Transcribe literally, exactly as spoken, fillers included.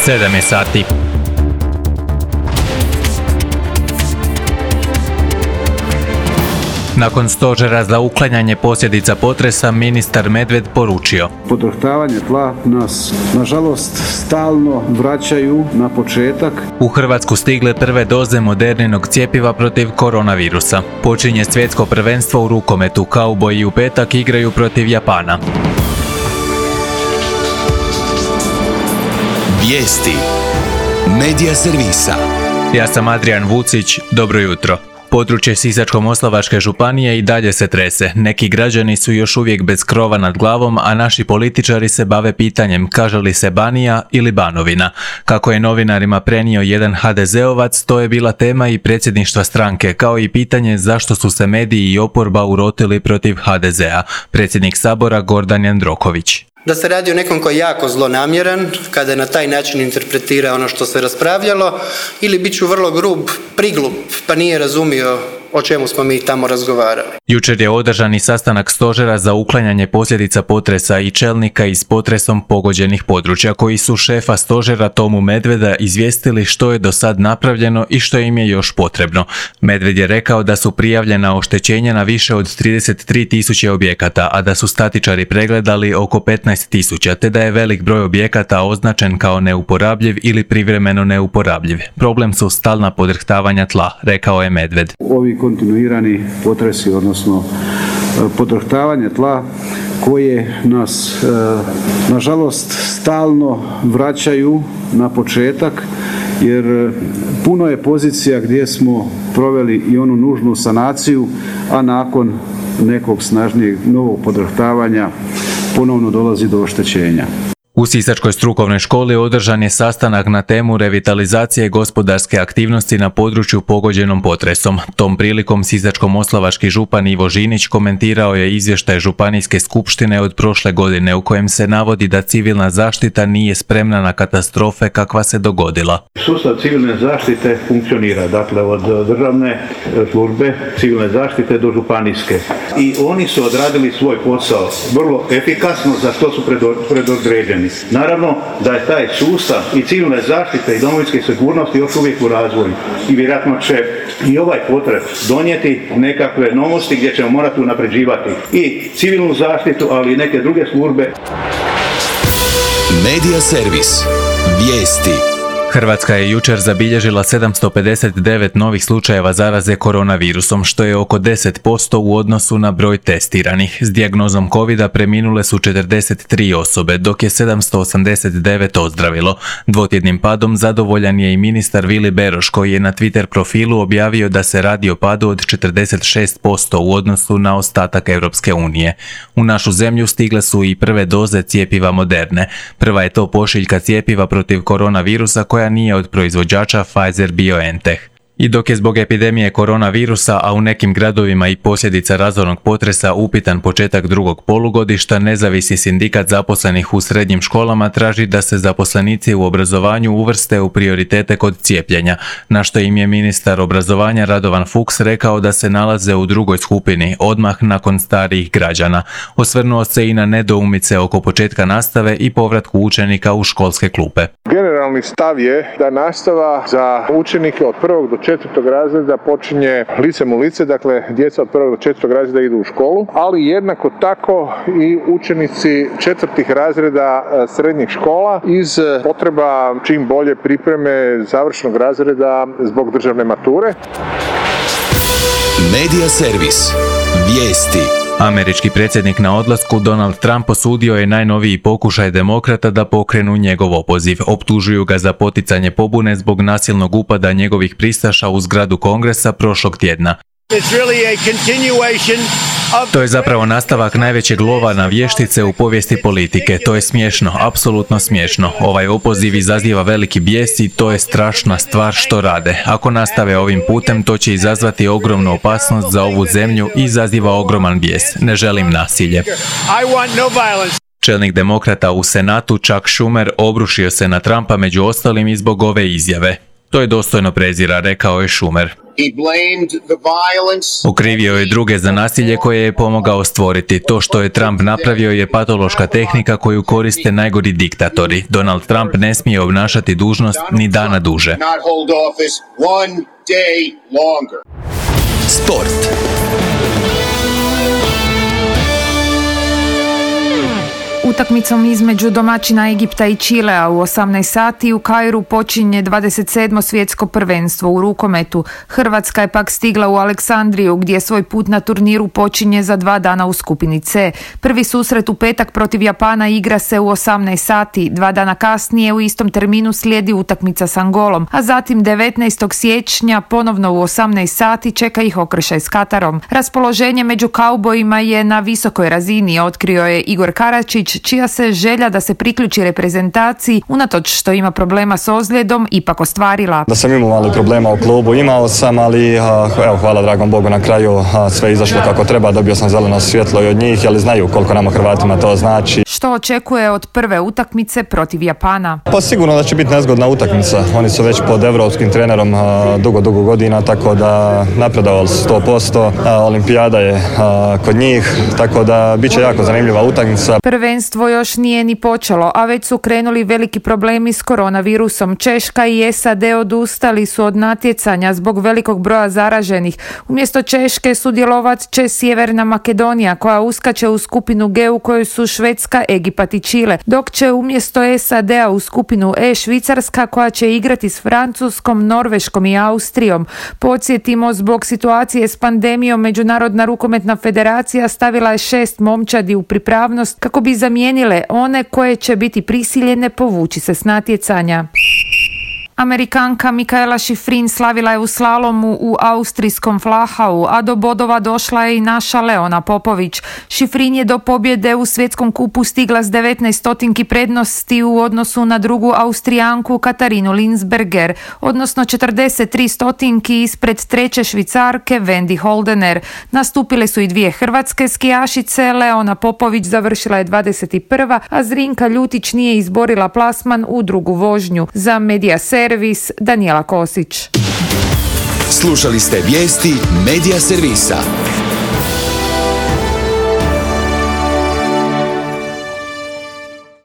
sedam je sati. Nakon stožera za uklanjanje posljedica potresa, ministar Medved poručio: Podrhtavanje tla nas, nažalost, stalno vraćaju na početak. U Hrvatsku stigle prve doze Moderninog cjepiva protiv koronavirusa. Počinje svjetsko prvenstvo u rukometu. Kauboji u petak igraju protiv Japana. Vijesti Medija servisa. Ja sam Adrian Vucić, dobro jutro. Područje Sisačko-moslavačke županije i dalje se trese. Neki građani su još uvijek bez krova nad glavom, a naši političari se bave pitanjem kaže li se Banija ili Banovina. Kako je novinarima prenio jedan ha de zeovac, to je bila tema i predsjedništva stranke, kao i pitanje zašto su se mediji i oporba urotili protiv ha de zea. Predsjednik Sabora Gordan Jandroković. Da se radi o nekom koji je jako zlonamjeran, kada je na taj način interpretira ono što se raspravljalo, ili bit ću vrlo grub, priglup, pa nije razumio o čemu smo mi tamo razgovarali. Jučer je održan i sastanak stožera za uklanjanje posljedica potresa i čelnika iz potresom pogođenih područja, koji su šefa stožera Tomu Medveda izvijestili što je do sad napravljeno i što im je još potrebno. Medved je rekao da su prijavljena oštećenja na više od trideset tri tisuće objekata, a da su statičari pregledali oko petnaest tisuća, te da je velik broj objekata označen kao neuporabljiv ili privremeno neuporabljiv. Problem su stalna podrhtavanja tla, rekao je Medved. Ovi kontinuirani potresi, odnosno podrhtavanje tla koje nas, nažalost, stalno vraćaju na početak, jer puno je pozicija gdje smo proveli i onu nužnu sanaciju, a nakon nekog snažnijeg novog podrhtavanja ponovno dolazi do oštećenja. U Sisačkoj strukovnoj školi održan je sastanak na temu revitalizacije gospodarske aktivnosti na području pogođenom potresom. Tom prilikom Sisačko-moslavački župan Ivo Žinić komentirao je izvještaj Županijske skupštine od prošle godine u kojem se navodi da civilna zaštita nije spremna na katastrofe kakva se dogodila. Sustav civilne zaštite funkcionira, dakle od državne službe civilne zaštite do županijske. I oni su odradili svoj posao vrlo efikasno, za što su predodređeni. Naravno da je taj sustav i civilne zaštite i domovinske sigurnosti još uvijek u razvoju i vjerojatno će i ovaj potres donijeti nekakve novosti gdje ćemo morati unapređivati i civilnu zaštitu, ali i neke druge službe. Medija servis. Vijesti. Hrvatska je jučer zabilježila sedamsto pedeset devet novih slučajeva zaraze koronavirusom, što je oko deset posto u odnosu na broj testiranih. S dijagnozom covida preminule su četrdeset tri osobe, dok je sedamsto osamdeset devet ozdravilo. Dvotjednim padom zadovoljan je i ministar Vili Beroš, koji je na Twitter profilu objavio da se radi o padu od četrdeset šest posto u odnosu na ostatak Europske unije. U našu zemlju stigle su i prve doze cjepiva Moderne. Prva je to pošiljka cjepiva protiv koronavirusa koja nije od proizvođača Pfizer-BioNTech. I dok je zbog epidemije koronavirusa, a u nekim gradovima i posljedica razornog potresa upitan početak drugog polugodišta, nezavisni sindikat zaposlenih u srednjim školama traži da se zaposlenici u obrazovanju uvrste u prioritete kod cijepljenja, na što im je ministar obrazovanja Radovan Fuchs rekao da se nalaze u drugoj skupini, odmah nakon starijih građana. Osvrnuo se i na nedoumice oko početka nastave i povratku učenika u školske klupe. Generalni stav je da nastava za učenike od prvog do četvrtog razreda počinje licem u lice, dakle djeca od prvog do četvrtog razreda idu u školu, ali jednako tako i učenici četvrtih razreda srednjih škola iz potreba čim bolje pripreme završnog razreda zbog državne mature. Medija servis. Vijesti. Američki predsjednik na odlasku Donald Trump osudio je najnoviji pokušaj demokrata da pokrenu njegov opoziv. Optužuju ga za poticanje pobune zbog nasilnog upada njegovih pristaša u zgradu Kongresa prošlog tjedna. To je zapravo nastavak najvećeg lova na vještice u povijesti politike. To je smiješno, apsolutno smiješno. Ovaj opoziv izaziva veliki bijes i to je strašna stvar što rade. Ako nastave ovim putem, to će izazvati ogromnu opasnost za ovu zemlju i izaziva ogroman bijes. Ne želim nasilje. Čelnik demokrata u Senatu Chuck Schumer obrušio se na Trumpa među ostalim i zbog ove izjave. To je dostojno prezira, rekao je Schumer. Okrivio je druge za nasilje koje je pomogao stvoriti. To što je Trump napravio je patološka tehnika koju koriste najgori diktatori. Donald Trump ne smije obnašati dužnost ni dana duže. Sport. Utakmicom između domaćina Egipta i Čilea u osamnaest sati u Kairu počinje dvadeset sedmo svjetsko prvenstvo u rukometu. Hrvatska je pak stigla u Aleksandriju gdje svoj put na turniru počinje za dva dana u skupini C. Prvi susret u petak protiv Japana igra se u osamnaest sati. Dva dana kasnije u istom terminu slijedi utakmica s Angolom, a zatim devetnaestog siječnja ponovno u osamnaest sati čeka ih okršaj s Katarom. Raspoloženje među kaubojima je na visokoj razini, otkrio je Igor Karačić, čija se želja da se priključi reprezentaciji, unatoč što ima problema s ozljedom, ipak ostvarila. Da sam imao mali problema u klubu, imao sam, ali evo, hvala dragom Bogu na kraju, sve izašlo kako treba, dobio sam zeleno svjetlo i od njih, ali znaju koliko nama Hrvatima to znači. Što očekuje od prve utakmice protiv Japana? Pa sigurno da će biti nezgodna utakmica. Oni su već pod evropskim trenerom dugo, dugo godina, tako da napredovali sto posto. Olimpijada je kod njih, tako da bit će jako zanimljiva utakmica. Prvenstvo još nije ni počelo, a već su krenuli veliki problemi s koronavirusom. Češka i S A D odustali su od natjecanja zbog velikog broja zaraženih. Umjesto Češke sudjelovat će Sjeverna Makedonija, koja uskače u skupinu G u kojoj su Švedska, Egipat i Čile, dok će umjesto S A D-a u skupinu E Švicarska, koja će igrati s Francuskom, Norveškom i Austrijom. Podsjetimo, zbog situacije s pandemijom Međunarodna rukometna federacija stavila je šest momčadi u pripravnost kako bi zamijenile one koje će biti prisiljene povući se s natjecanja. Amerikanka Mikaela Šifrin slavila je u slalomu u austrijskom Flachau, a do bodova došla je i naša Leona Popović. Šifrin je do pobjede u svjetskom kupu stigla s devetnaest stotinki prednosti u odnosu na drugu Austrijanku Katarinu Linsberger, odnosno četrdeset tri stotinki ispred treće Švicarke Wendy Holdener. Nastupile su i dvije hrvatske skijašice, Leona Popović završila je dvadeset prva, a Zrinka Ljutić nije izborila plasman u drugu vožnju. Za Medija Servis, Danijela Kosić. Slušali ste vijesti Medija Servisa.